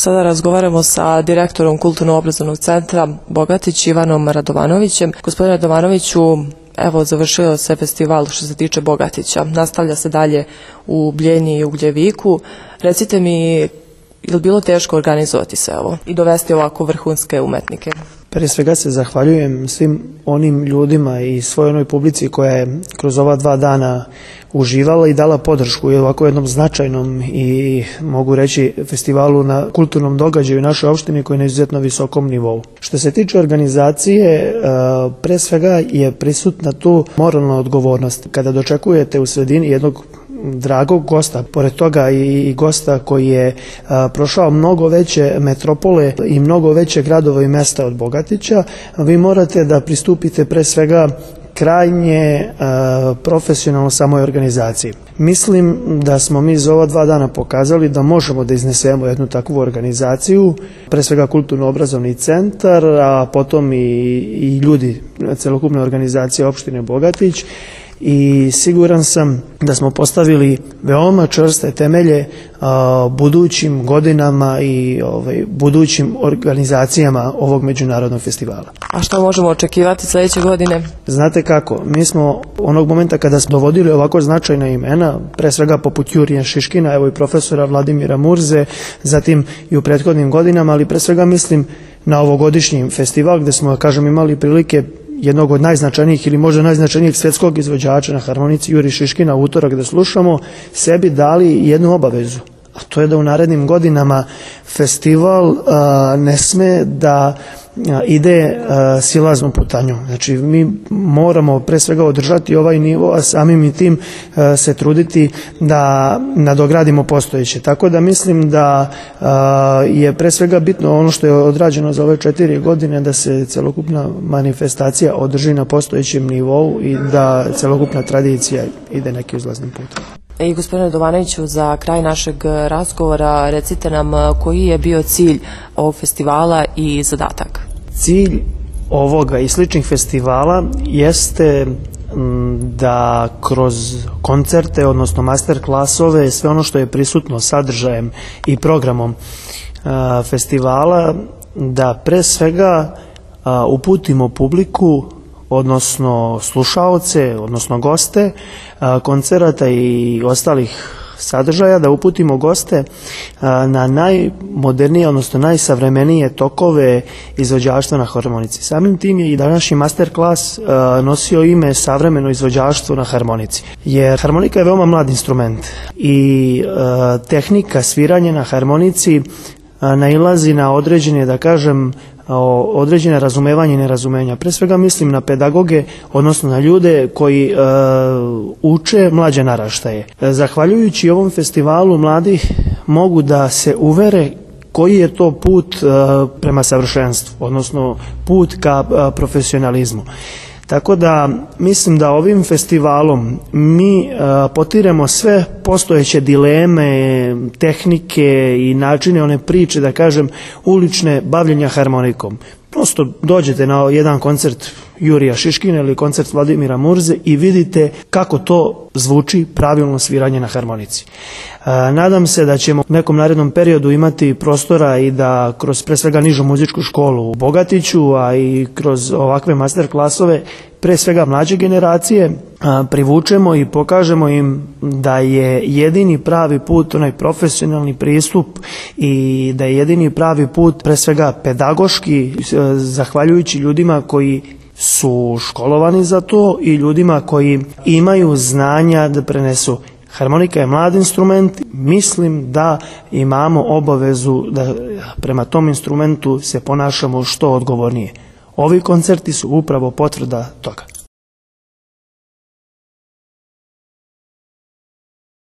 Sada razgovaramo sa direktorom Kulturno-obrazovnog centra Bogatić, Ivanom Radovanovićem. Gospodine Radovanoviću, evo završio se festival što se tiče Bogatića. Nastavlja se dalje u Bljenji i Ugljeviku. Recite mi, je li bilo teško organizovati se ovo i dovesti ovako vrhunske umetnike? Prije svega se zahvaljujem svim onim ljudima i svoj onoj publici koja je kroz ova 2 dana uživala i dala podršku i ovako jednom značajnom i mogu reći festivalu na kulturnom događaju u našoj opštini koji je na izuzetno visokom nivou. Što se tiče organizacije, pre svega je prisutna tu moralna odgovornost. Kada dočekujete u sredini jednog dragog gosta, pored toga i gosta koji je prošao mnogo veće metropole i mnogo veće gradova i mesta od Bogatića, vi morate da pristupite pre svega krajnje profesionalno samoj organizaciji. Mislim da smo mi za ova 2 dana pokazali da možemo da iznesemo jednu takvu organizaciju, pre svega Kulturno-obrazovni centar, a potom i ljudi celokupne organizacije opštine Bogatić, i siguran sam da smo postavili veoma čvrste temelje budućim godinama i budućim organizacijama ovog međunarodnog festivala. A što možemo očekivati sljedeće godine? Znate kako, mi smo onog momenta kada smo dovodili ovako značajna imena, pre svega poput Jurija Šiškina, evo i profesora Vladimira Murze, zatim i u prethodnim godinama, ali pre svega mislim na ovogodišnji festival gde smo, kažem, imali prilike jednog od najznačajnijih ili možda najznačajnijeg svjetskog izvođača na harmonici Juri Šiškina u utorak da slušamo, sebi dali jednu obavezu, a to je da u narednim godinama festival ne sme da ide silaznom putanjom. Znači mi moramo pre svega održati ovaj nivo, a samim i tim se truditi da nadogradimo postojeće. Tako da mislim da je pre svega bitno ono što je odrađeno za ove 4 godine, da se celokupna manifestacija održi na postojećem nivou i da celokupna tradicija ide nekim uzlaznim putem. I gospodine Radovanoviću, za kraj našeg razgovora recite nam koji je bio cilj ovog festivala i zadatak. Cilj ovoga i sličnih festivala jeste da kroz koncerte, odnosno master klasove, sve ono što je prisutno sadržajem i programom festivala, da pre svega uputimo publiku, odnosno slušaoce, odnosno goste koncerata i ostalih sadržaja, da uputimo goste na najmodernije, odnosno najsavremenije tokove izvođaštva na harmonici. Samim tim je i današnji master klas nosio ime savremeno izvođaštvo na harmonici. Jer harmonika je veoma mlad instrument i tehnika sviranja na harmonici nailazi na određene, da kažem, određene razumevanje i nerazumenja. Pre svega mislim na pedagoge, odnosno na ljude koji uče mlađe naraštaje. Zahvaljujući ovom festivalu mladi mogu da se uvere koji je to put prema savršenstvu, odnosno put ka profesionalizmu. Tako da mislim da ovim festivalom mi potiremo sve postojeće dileme, tehnike i načine one priče, da kažem, ulične bavljenja harmonikom. Prosto dođete na jedan koncert Jurija Šiškina ili koncert Vladimira Murze i vidite kako to zvuči pravilno sviranje na harmonici. Nadam se da ćemo u nekom narednom periodu imati prostora i da kroz pre svega nižu muzičku školu u Bogatiću, a i kroz ovakve master klasove, pre svega mlađe generacije, privučemo i pokažemo im da je jedini pravi put onaj profesionalni pristup i da je jedini pravi put pre svega pedagoški, zahvaljujući ljudima koji su školovani za to i ljudima koji imaju znanja da prenesu. Harmonika je mlad instrument, mislim da imamo obavezu da prema tom instrumentu se ponašamo što odgovornije. Ovi koncerti su upravo potvrda toga.